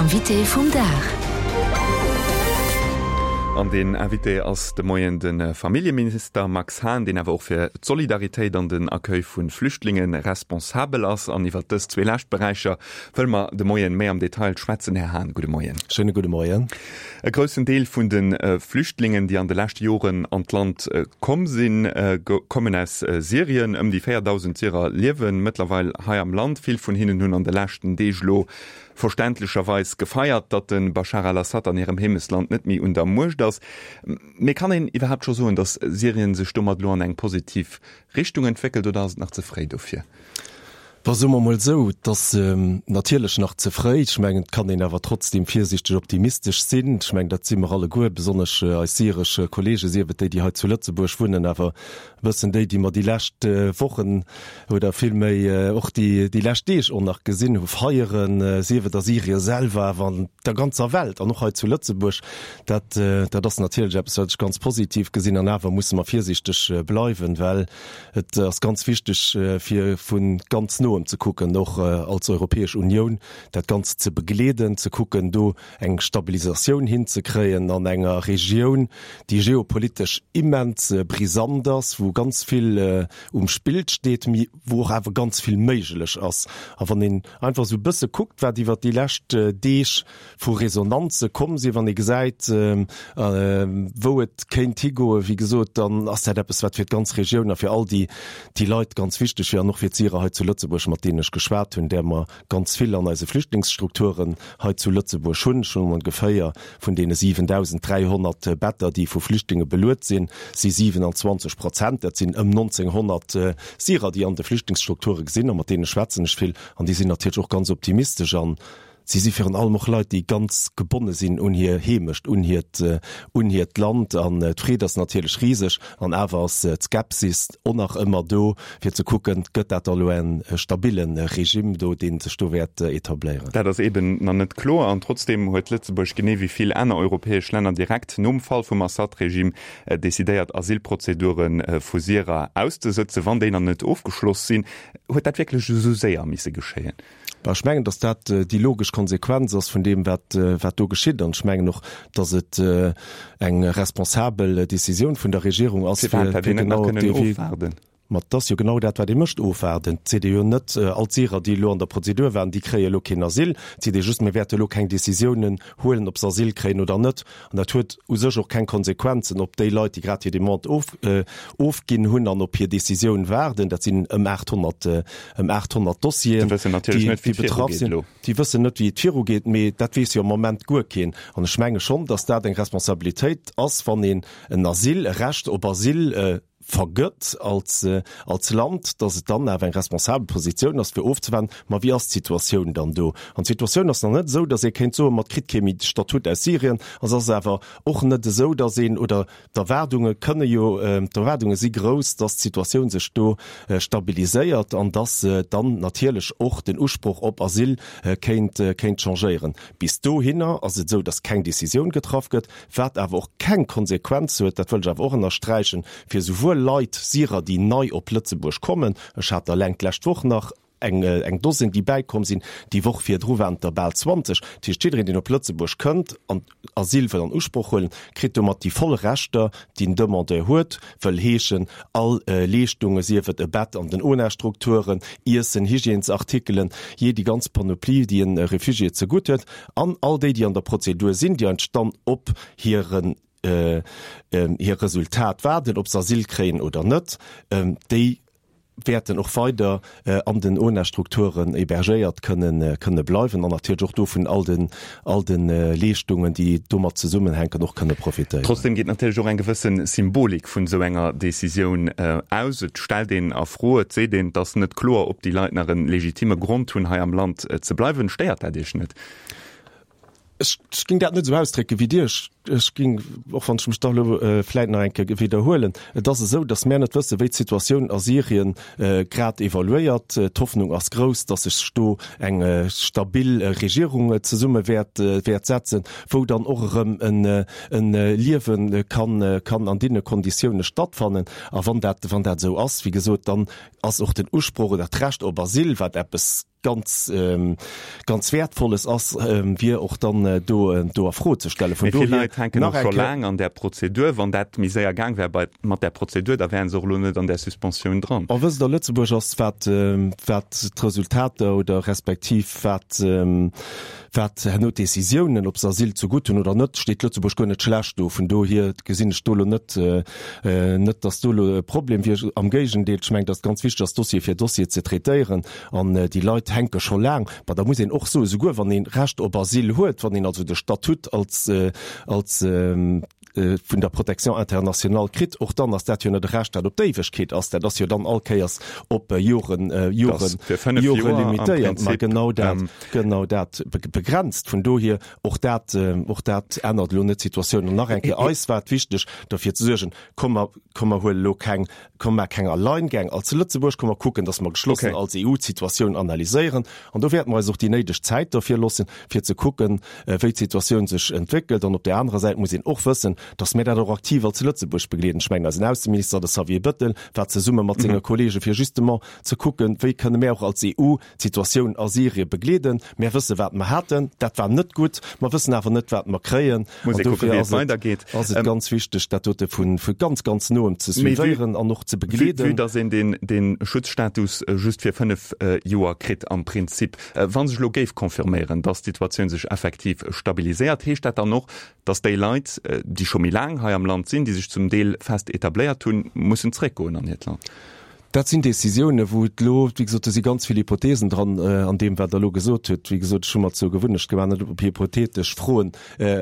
Invité vum Dag. An deen Invité ass de Moien de Familljeminister Max Hahn, deen awer och fir d'Solidaritéit an den Accueil vu Flüchtlinge responsabel ass. An iwwert dës zwee lescht Beräicher wëlle mer de Moien méi am Detail schwätzen. Här Hahn, gudde Moien. Schéine gudde Moien. E groussen Deel vun de Flüchtlingen, déi an de leschte Joren an d'Land komm sinn, kommen aus Syrien. Ëm déi 4.000 Syrer liewe mëttlerweil hei am Land. Vill vun hinnen hunn an de leschten Deeg elo verständlecherweis gefeiert, datt de Bashar al-Assad an hirem Heemechtsland net méi un der Muecht ass. Mee kann een iwwerhaapt scho soen, datt Syrien sech domat elo an eng positiv Richtung entwéckelt oder ass et nach ze fréi dofir? Bon, soe mer mol esou, et ass natierlech nach ze fréi. Ech mengen, et kann een awer trotzdeem virsiichteg optimistesch sinn. Ech mengen, dat si mer alleguer, besonnesch eis syresch Kollegen, sief et déi, déi hei zu Lëtzebuerg wunnen, awer e bëssen déi, déi mer déi lescht Wochen oder villméi och déi, déi lescht Deeg och nach gesinn hu feieren, sief et a Syrien selwer, awer an der ganzer Welt an och hei zu Lëtzebuerg. Dat, dat ass natierlech eppes, wat ech ganz positiv gesinn. An awer musse mer virsiichteg bleiwen, well Et ass ganz wichteg, fir vu ganz Noem ze kucken, och als Europäesch Unioun dat Ganzt ze begleeden, ze kucken, do eng Stabilisatioun hinzekréien an enger Regioun, déi geopolitesch immens brisant ass, wou ganz vill um Spill steet, mee wou och awer ganz vill méiglech ass. A wann een einfach esou e bësse kuckt, wat iwwert déi lescht Deeg vu Resonanze komm sinn, wann ee gesäit, wou et kéint higoen, wéi gesot, dann ass dat eppes, wat fir d'ganz Regioun a fir all déi, déi Leit ganz wichteg wier an och fir d'Syrer hei zu Lëtzebuerg, mat deenen ech geschwat hunn, där mer ganz vill an eise Flüchtlingsstrukturen hei zu Lëtzebuerg hunn. Ech hunn ongeféier vun deene 7.300 Better, déi vu Flüchtlinge beluet sinn, si 27 Prozent, dat sinn ëm 1.900 Syrer, déi an de Flüchtlingsstrukture sinn a mat deene schwätzen ech vill an déi sinn natierlech och ganz optimistesch an Si si virun allem och Leit, déi ganz gebonne sinn un hir Heemecht, un hiert, un hiert Land. An d'Freed ass natierlech riseg. An awer ass d'Skepsis och nach ëmmer do, fir ze kucken, Gëtt dat da elo en stabille Regime do, dee sech do wäert etabléieren? Dat ass eeben nach net kloer. An trotzdeem huet Lëtzebuerg, genee wéi vill aner europäesch Länner, direkt nom Fall vum Assad-Regime decidéiert, Asylprozedure vu Syrer auszesëtzen, wann déi nach net ofgeschloss sinn. Huet dat wierklech esou séier misse geschéien? Bah, ech mengen, datt dat déi logesch Konsequenz ass vun deem, wat, wat do geschitt. An ech mengen och, datt et eng responsabel Décisioun vun der Regierung ass, fir, fir genau op dee Wee. Ma et ass jo genau dat, wat ee mécht, ofwaarden. Et seet ee jo net, all d'Syrer, déi elo an der Prozedur waren, déi kréie elo keen Asyl. Et seet ee just, mir wäerte elo keng Décisiounen huelen, ob se Asyl kréien oder net. An dat huet u sech och keng Konsequenzen op déi Leit, déi grad hir Demande of, ofginn hunn an op hir Decisioun waarden. Dat sinn ëm 800, ëm 800 Dossieren, Déi wëssen natierlech net, wéi et betraff virugeet sinn. elo. Déi wëssen net, wéi et virugeet, mee dat weess jo am Moment guer keen. An ech menge schonn, datt dat eng Responsabilitéit ass, wann een en Asyl, e Recht op Asyl vergëtt als, als Land, dass et dann awer eng responsabel Positioun ass, fir ofzewaarden, ma wéi ass d'Situatioun dann do? An d'Situatioun ass nach net esou, dass ee kéint soen, ma et kritt kee méi de Statut aus Syrien. A se ass awer och net esou, dass een, oder d'Erwaardunge kënne jo, d'Erwaardunge si grouss, dass d'Situatioun sech do stabiliséiert an dass dann natierlech och den Usproch op Asyl kéint, kéint changéieren. Bis dohinner ass et esou, dass keng Décisioun getraff gëtt. Wat awer och keng Konsequenz huet, dat wëll ech awer och ënnersträichen, fir esouwuel Leit, Syrer, déi nei op Lëtzebuerg kommen, ech hat der eleng d'lescht Woch nach eng, eng Dosinn, déi bäikomm sinn, déi Woch virdru waren et der bal 20, dat heescht, jiddereen, deen op Lëtzebuerg kënnt an Asyl wëll an Usproch huelen, kritt domat déi voll Rechter, déi en Demandeur huet, wëll heeschen, all Leeschtungen, sief et e Bett an den ONA-Strukturen, Iessen, Hygiènesartikelen, jee déi ganz Panoplie, déi e Refugié zegutt huet. An all déi, déi an der Prozedur sinn, déi eigentlech dann op hiren, hir Resultat waarden, ob se Asyl kréien oder net, déi wäerten och weider an den ONA-Strukturen hébergéiert kënnen, kënne bleiwen an natierlech och do vun all den, all de Leeschtungen, déi domat zesummenhänken, och kënne profitéieren. Trotzdem geet natierlech och eng gewësse Symbolik vun esou enger Décisioun aus. Et stellt een a Fro, et seet een, et ass net kloer, ob déi Leit nach e legitime Grond hunn, hei am Land ze bleiwen. Stéiert dat Iech net? Ech géing dat net esou ausdrécke wéi Dir. ech géing, och wann ech mech da elo vläit nach eng Kéier widderhuelen, et ass esou, datt mär net wëssen, wéi d'Situatioun a Syrien grad evaluéiert. D'Hoffnung ass grouss, datt sech do eng stabil Regierung zesumme wäert wäert setzen, wou dann och erëm en en Liewe kann kann an deene Konditioune stattfannen. A wann dat wann dat esou ass, wéi gesot, dann ass och den Usproch oder d'Recht op Asyl, wat eppes ganz ganz Wäertvolles ass, wier och dann do do a Fro ze stellen. Vun dohier. Mee vill Leit hänken och scho laang an där Prozedur. Wann dat méi séier gaang wär bei mat där Prozedur, da wären se och elo net an där Suspensioun dran. Or, wësst Der, Lëtzebuerg ass, wat wat d'Resultater oder respektiv wat Wat herno d'Décisiounen, ob se Asyl zegutt hunn oder net, steet Lëtzebuerg guer net schlecht do. Vun dohier gesinn ech do elo net, net datt do elo e Problem wier. Am Géigendeel, ech mengen, datt et ganz wichteg ass, Dossier fir Dossier ze traitéieren. An déi Leit hänke scho laang. Mä da muss een och soen, souguer wann ee Recht op Asyl huet, wann een also de Statut als, als, vun der Protection internationale kritt, och dann ass dat jo net e Recht, dat op d'Éiwegkeet ass. Dat ass jo dann all Kéiers op Joren, Joren, Jore limitéiert. Ma genau dat, genau dat begrenzt. Vun dohier, och dat, och dat ännert elo net d'Situatioun. An nach eng Kéier, eis war et wichteg, derfir ze suergen, komm mer, komm mer huele elo keng, komm mer keng Alleingäng als Lëtzebuerg, komm mer kucken, datt mer geschlossen als EU d'Situatioun analyséieren. An do wäerte mer eis och déi néideg Zäit derfir loossen, fir ze kucken, wéi d'Situatioun sech entwéckelt. An op där anerer Säit muss een och wëssen, datt mir dat och aktiv als Lëtzebuerg begleeden. Ech mengen, eisen Ausseminister, de Xavier Bettel, war zesumme mat senge Kollege fir justement ze kucken, wéi kënne mir och als EU d'Situatioun a Syrien begleeden. Mir wësse wat mer haten, dat war net gutt. Mer wëssen awer net, wat mer kréien. An dofir ass et, ass et ganz wichteg, dat dote vu ganz, ganz noem ze suivéieren an och ze begleeden. Vue datt een deen, dee Schutzstatus just fir 5 Joer kritt am Prinzip. Wa sech elo géif confirméieren, datt d'Situatioun sech effektiv stabiliséiert, heescht dat dann och, datt déi Leit, déi scho méi laang hei am Land sinn, déi sech zum Deel fest etabléiert hunn, mussen zréckgoen an hiert Land? Dat sinn Décisiounen, wou et elo, wéi gesot, do si ganz vill Hypothesen dran an deem, wat Der elo gesot hutt. Wéi gesot, ech hu mer zur Gewunnecht gemaach, net op hypothetesch Froen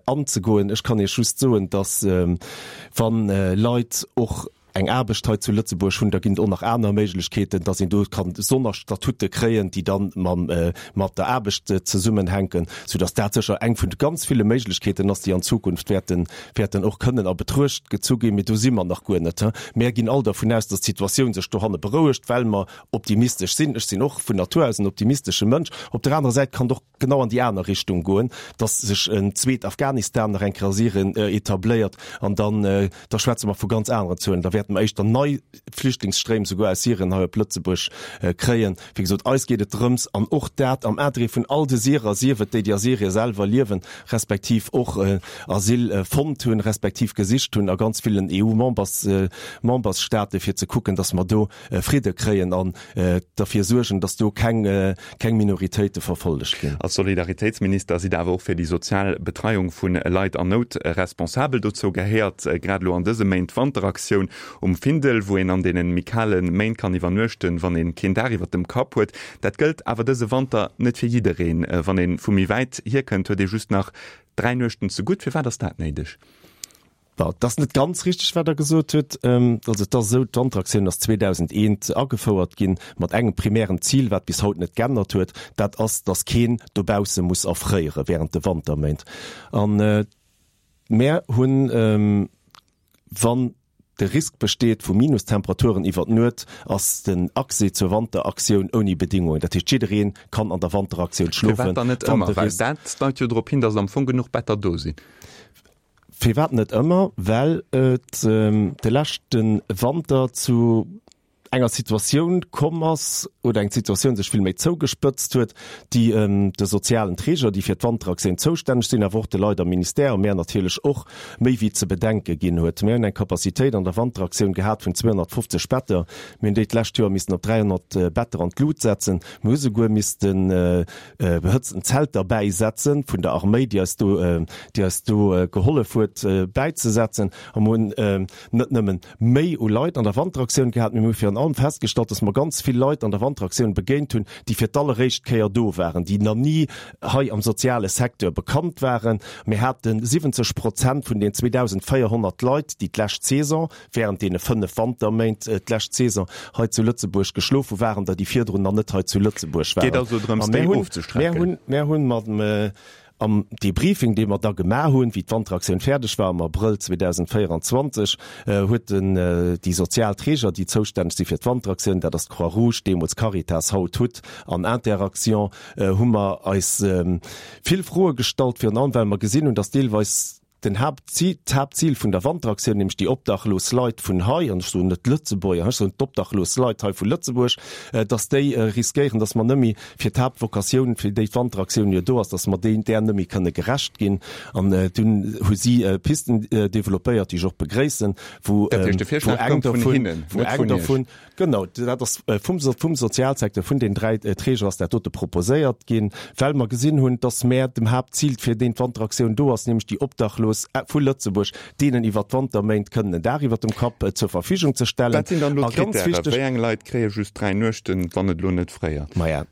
anzegoen. Ech kann Iech just soen, datt, wa Leit och eng Aarbecht hei zu Lëtzebuerg hunn, da ginn et och nach aner Méiglechkeeten, datt een do kann Sonnerstatute kréien, déi dann mam, mat der Aarbecht zesummenhänken, soudatt dat sécher eng vun de ganz ville Méiglechkeeten ass, déi an Zukunft wäerten, wäerten och kënnen a Betruecht gezu ginn. Mee do si mer nach guer net. Mär ginn all dervun aus, datt d'Situatioun sech dohanne berouegt, well mer optimistesch sinn. Ech sinn och vun Natur aus en optimistesche Mënsch. Op der anerer Säit kann et och genau an déi aner Richtung goen, dass sech en zweet Afghanistan nach eng Kéier a Syrien etabléiert an dann, da schwätze mer vu ganz aneren Zuelen. Da wäerte mer éischter nei Flüchtlingsstréim souguer aus Syrien hei op Lëtzebuerg kréien. Wéi gesot, eis geet et drëms, an och dat am Interêt vun all de Syrer, sief et déi, déi a Syrien selwer liewen, respektiv och Asyl fonnt hunn, respektiv gesicht hunn a ganz villen EU-Members, Membersstaaten, fir ze kucken, dass mer do Fridde kréien an derfir suergen, dass do keng, keng Minoritéite verfollegt ginn. Als Solidaritéitsminister sidd Der awer och fir déi sozial Betreiung vu Leit an Nout responsabel. Dozou gehéiert grad elo an dëse Méint d'Wanteraktioun um Findel, wou een an deene méi kale Méint kann iwwernuechten, wann ee keen Daach iwwer dem Kapp huet. Dat gëllt awer dëse Wanter net fir jiddereen. Wann ee vu méi wäit hierkënnt, huet ee just nach 3 Nuechten zegutt. Firwat ass dat néideg? Bon, et ass net ganz richteg, wat Der gesot hutt. Also et ass esou, d'Wanteraktioun ass 2001 agefouert ginn, mat engem primären Zil, wat bis haut net geännert huet, dat ass, datt keen dobausse muss erfréiere während de Wanterméint. A mär hunn, wann de Risk besteet vu Minustemperaturen iwwer d'Nuet, ass den Accès zur Wanteraktioun ouni Bedingungen. Dat heescht, jidderee kann an der Wanteraktioun schlofen, Firwat dann net ëmmer? Well dat deit jo drop hin, datt am Fong genuch Better do sinn. Firwat net ëmmer? Well et de leschte Wanter zu enger Situatioun komm ass, oder eng Situatioun sech vill méi zougespëtzt huet, déi de sozialen Träger, déi fir d'Wanteraktioun zoustänneg sinn, awer och de Leit am Ministère a mär natierlech och, méi wéi ze bedenke ginn huet. Mär hunn eng Capacitéit an der Wanteraktioun gehat vun 250 Better. Mir hunn déi d'lescht Joer missen op 300 Better an d'Lut setzen. Mir hu souguer missten behëtzten Zelter bäisetzen, vun der Arméi, déi eis do, déi eis do gehollef huet bäizesetzen. A mer hunn net nëmmen méi u Leit an der Wanteraktioun gehat, mee mir hu virun allem festgestallt, dass mer ganz vill Leit an der Wanteraktioun begéint hunn, déi fir d'alleréischt Kéier do waren, déi nach ni hei am soziale Secteur bekannt waren. Mir hate 70 Prozent vun den 2.400 Leit, déi d'lescht Saison, Während deene 5 Wanterméint d'lescht Saison hei zu Lëtzebuerg geschlof hu waren der, déi virdrun nach net hei zu Lëtzebuerg waren. Geet also drëms, déi ofzestrecken. Mir hunn, mir hunn mam. Am Debriefing, dee mer da gemaach hunn, wéi d'Wanteraktioun fäerdeg war am Abrëll 2024, huet den, déi sozial Träger, déi zoustänneg si fir d'Wanteraktioun, dat ass d'Croix-Rouge, deemools Caritas, haut hut an Interaction, hu mer eis vill Froe gestallt, virun allem well mer gesinn hunn, dass deelweis Den Haaptzil, d'Haaptzil vun der Wanteraktioun, nämlech déi obdachlos Leit vun hei, an ech soen net d'Lëtzebuerger, ech soen d'obdachlos Leit hei vu Lëtzebuerg, dass déi riskéieren, dass mer nëmme fir d'Haaptvokatioun, fir déi d'Wanteraktioun jo do ass, dass mer déi där nëmme kënne gerecht ginn. An dunn hu si Pisten developpéiert, déi ech och begréissen, wou eng dovun, wou eng dovun, Genau, dat ass vum, vum Sozialsecteur, vun den dräi Träger ass dat dote proposéiert ginn, well mer gesinn hunn, dass mär dem Haaptzil, fir deen d'Wanteraktioun do ass, nämlech déi Obdachlos vu Lëtzebuerg, deenen iwwert d'Wanterméint kënnen en Daach iwwert dem Kapp zur Verfügung ze stellen. Wat sinn dann elo d'Krittäre? Wéi eng Leit kréie just dräi Nuechten, wann et elo net fréiert? Maja,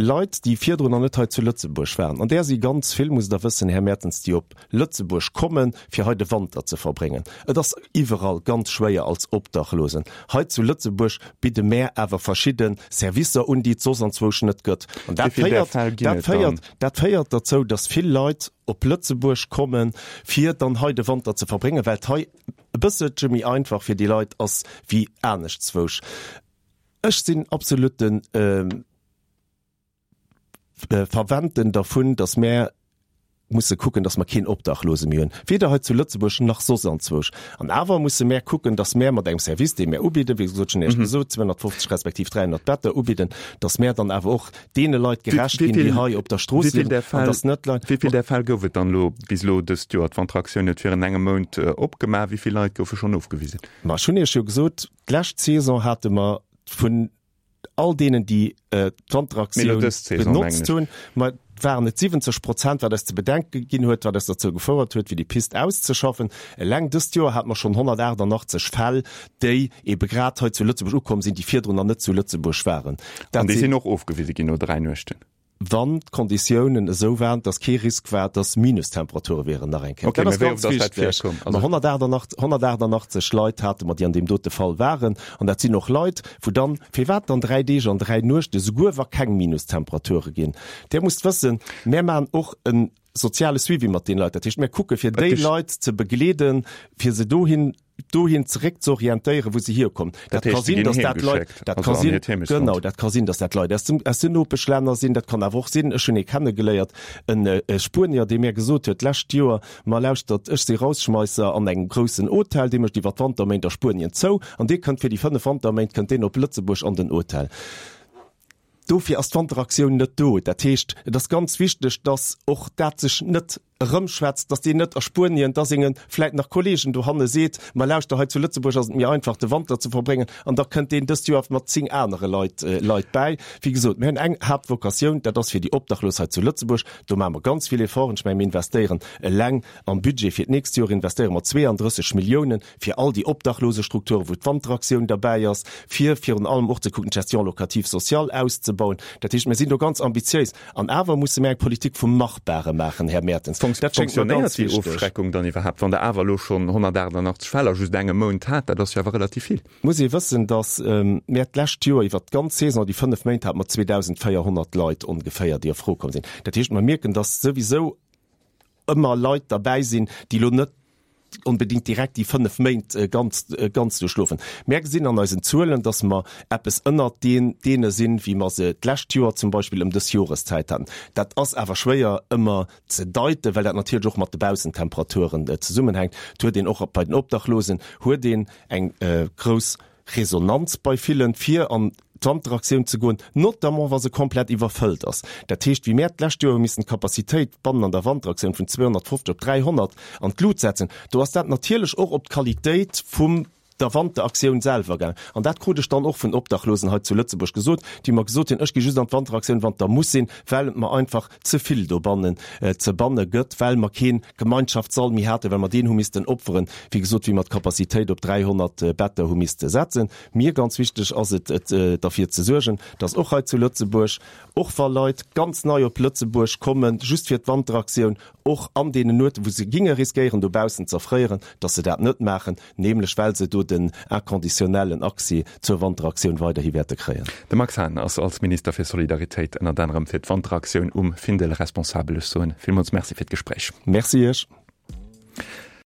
Leit, déi virdrun nach net hei zu Lëtzebuerg waren, an där si ganz vill, musst Der wëssen, Här Mertens, déi op Lëtzebuerg kommen, fir hei de Wanter ze verbréngen. Et ass iwwerall ganz schwéier als Obdachlosen. Hei zu Lëtzebuerg bidde mär awer verschidde Servicer un, déi et soss anzwousch net gëtt. An dat féiert, dat féiert, dat féiert derzou, dass vill Leit op Lëtzebuerg kommen, fir dann hei de Wanter ze verbréngen, well et hei e bësselche méi einfach fir déi Leit ass wéi aneschtzwousch. Ech sinn absolutten Verwenden dervun, datt mär musse kucken, datt mer keen Obdachlose méi hunn, weder hei zu Lëtzebuerg nach soss anzwousch. An awer musse mär kucken, datt mär mat engem Service, dee mär ubidden, wéi gesot, ech hunn Iech gesot, 250 respektiv 300 Better ubidden, datt mär dann awer och deene Leit gerecht ginn, déi hei op der Strooss liewen, an datt net Leit. Wéi vill där Fäll gouf et dann elo bis elo dëst Joer? D'Wanteraktioun huet virun engem Mount opgemaach. Wéi vill Leit goufe schonn ofgewisen? Ma ech hunn Iech jo gesot, D'lescht Saison hate mer vun all deenen, déi d'Wanteraktioun benotzt hunn, ma waren et 70 Prozent, wat eis ze bedenke ginn huet, wat eis derzou gefouert huet, fir déi Pist auszeschaffen. Eleng dëst Joer hate mer schonn 188 Fäll, déi ebe grad hei zu Lëtzebuerg ukomm sinn, déi virdrun nach net zu Lëtzebuerg waren. An déi sinn och ofgewise ginn no 3 Nuechten? Wann d'Konditiounen esou waren, dass kee Risk war, dass Minustemperature wieren, nach eng Kéier. Dat ass ganz wichteg. Ma 188, 188 Leit hate mer, déi an deem dote Fall waren. An dat sinn och Leit, wou dann, firwat dann 3 Deeg an 3 Nuechte, souguer wa keng Minustemperature ginn? Dir musst wëssen, mär maachen och e soziale Suivi mat deene Leit. Dat heescht, mär kucke fir déi Leit ze begleeden, fir se dohin, dohin zeréck ze orientéieren, wou se hierkommen. Dat ka sinn, dass dat Leit, dat ka sinn, genau, dat ka sinn, dass dat Leit aus dem, aus den Nopeschlänner sinn. Dat kann awer och sinn, ech hunn ee kennegeléiert, en Spuenier, dee mär gesot huet d'lescht Joer, Ma lauschtert, ech si Rausschmeisser an engem groussen Hotel, dee mécht iwwer d'Wanterméint a Spuenien zou, an dee kënnt fir déi 5 Wanterméint kënnt deen op Lëtzebuerg an den Hotel. Dofir ass d'Wanteraktioun net do. Dat heescht, et ass ganz wichteg, dass och dat sech net erëmschwätzt, dass deen net a Spuenien da senge vläit nach Kollegen dohanne seet, Ma lauschter, hei zu Lëtzebuerg ass et méi einfach de Wanter ze verbréngen, an da kënnt deen dëst Joer mat 10 anere Leit Leit bäi. Wéi gesot, mir hunn eng Haaptvokatioun, dat ass fir déi Obdachlos hei zu Lëtzebuerg. Do maache mer ganz vill Efforten. Ech menge mir investéieren eleng am Budget fir d'nächst Joer investéiere mer 32 Milliounen fir all déi Obdachlosestrukturen, wou d'Wanteraktioun derbäi ass, fir virun allem och ze kucken, d'Gestion locative sociale auszebauen. Dat heescht, mir sinn do ganz ambitiéis. An awer musse mir eng Politik vum Machbare maachen, Här Mertens. Dat schéngt mer ganz wichteg. Fonctionnéiert déi Ofschreckung dann iwwerhaapt, wann Der awer elo schonn 188 Fäll a just engem Mount hat? Dat ass jo awer relativ vill. Et muss ee wëssen, datt mir d'lescht Joer iwwert d'ganz Saison, déi 5 Méint, hate mer 2.400 Leit ongeféier, déi a Fro komm sinn. Dat heescht, mer mierken, datt souwisou ëmmer Leit derbäi sinn, déi elo net onbedéngt direkt déi 5 Méint ganz, ganz duerchschlofen. Mär gesinn an eisen Zuelen, dass mer eppes ënnert deen, deene sinn, wéi mer se d'lescht Joer zum Beispill ëm dës Joreszäit haten. Dat ass awer schwéier ëmmer ze deiten, well dat natierlech och mat de Baussentemperaturen zesummenhänkt. Et huet een och bei den Obdachlosen huet een eng grouss Resonanz bei villen, fir an d'Wanteraktioun ze goen, notamment wa se komplett iwwerfëllt ass. Dat heescht, wéi mär d'lescht Joer hu missen d'Capacitéit bannen an der Wanteraktioun vun 250 op 300 an d'Lut setzen, do ass dat natierlech och op d'Qualitéit vum der Wanteraktioun selwer gaangen. An dat krut ech dann och vun Obdachlosen hei zu Lëtzebuerg gesot, déi mer gesot hunn, ech gi just an d'Wanteraktioun, wann et da muss sinn, well et mer einfach ze vill dobannen ze banne gëtt, well mer kee Gemeinschaftssall méi haten, well mer deen hu missten opferen, wéi gesot, wéi mer d'Capacitéit op 300 Better hu misste setzen. Mir ganz wichteg ass et, et derfir ze suergen, dass och hei zu Lëtzebuerg, och wa Leit ganz nei op Lëtzebuerg kommen, just fir d'Wanteraktioun, och an deenen Nueten, wou se ginge riskéieren dobaussen z'erfréieren, dass se dat net maachen, nämlech well se do. den inconditionnellen Accès zur Wanteraktioun weiderhi wäerte kréien. De Max Hahn ass als Minister fir Solidaritéit ënnert anerem fir d'Wanteraktioun um Findel responsabel. Ech soen villmools Merci fir d'Gespréich. Merci Iech.